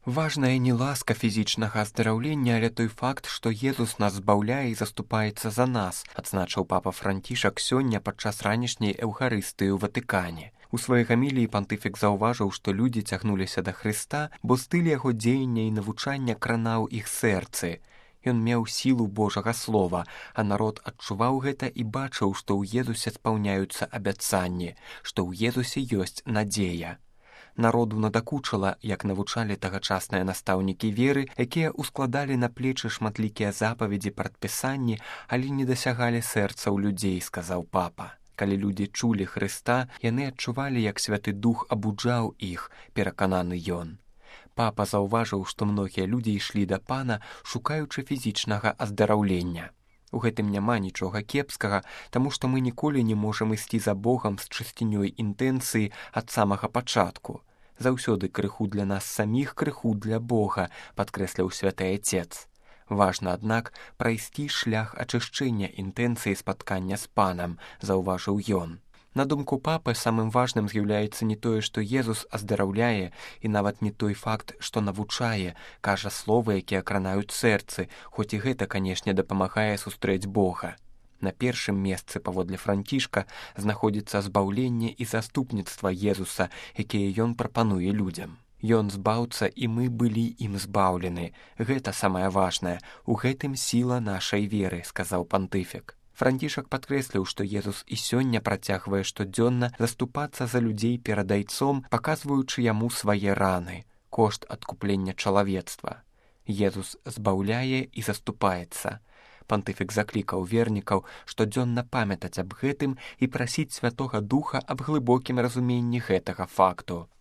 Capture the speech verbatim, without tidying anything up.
Важная не ласка фізічнага аздараўлення, але той факт, што Езус нас збаўляе і заступаецца за нас, адзначыў папа Францішак сёння падчас ранішняй эўхарыстыі ў Ватыкане. У сваёй гаміліі пантыфік заўважыў, што людзі цягнуліся да Хрыста, бо стыль яго дзеяння і навучання кранаў іх сэрцы. Ён меў сілу Божага слова, а народ адчуваў гэта і бачыў, што ў Езусе спаўняюцца абяцанні, што ў Езусе ёсць надзея. Народу надакучыла, як навучалі тагачасныя настаўнікі веры, якія ўскладалі на плечы шматлікія запаведзі прадпісанні, але не дасягалі сэрцаў людзей, сказаў папа. Калі людзі чулі Хрыста, яны адчувалі, як Святы Дух абуджаў іх, перакананы ён. Папа заўважыў, што многія людзі ішлі да пана, шукаючы фізічнага аздараўлення. У гэтым няма нічога кепскага, таму што мы ніколі не можам ісці за Богам з чысцінёй інтэнцыі ад самага пачатку. Заўсёды крыху для нас саміх, крыху для Бога, падкрэсліў святы Отец. Важна, аднак, прайсці шлях ачышчэння інтэнцыі спаткання з панам, заўважыў ён. На думку папы, самым важным з'яўляецца не тое, што Езус аздараўляе, і нават не той факт, што навучае, кажа словы, якія кранаюць сэрцы, хоць і гэта, канешне, дапамагае сустрэць Бога. На першым месцы, паводле Францішка, знаходзіцца збаўленне і заступніцтва Езуса, якія ён прапануе людзям. Ён збаўца, і мы былі ім збаўлены. Гэта самае важнае. У гэтым сіла нашай веры, сказаў пантыфік. Францішак падкрэсліў, што Езус і сёння працягвае штодзённа заступацца за людзей перад Айцом, паказваючы яму свае раны, кошт адкуплення чалавецтва. Езус збаўляе і заступаецца. Пантыфік заклікаў вернікаў штодзённа памятаць аб гэтым і прасіць Святога Духа аб глыбокім разуменні гэтага факту.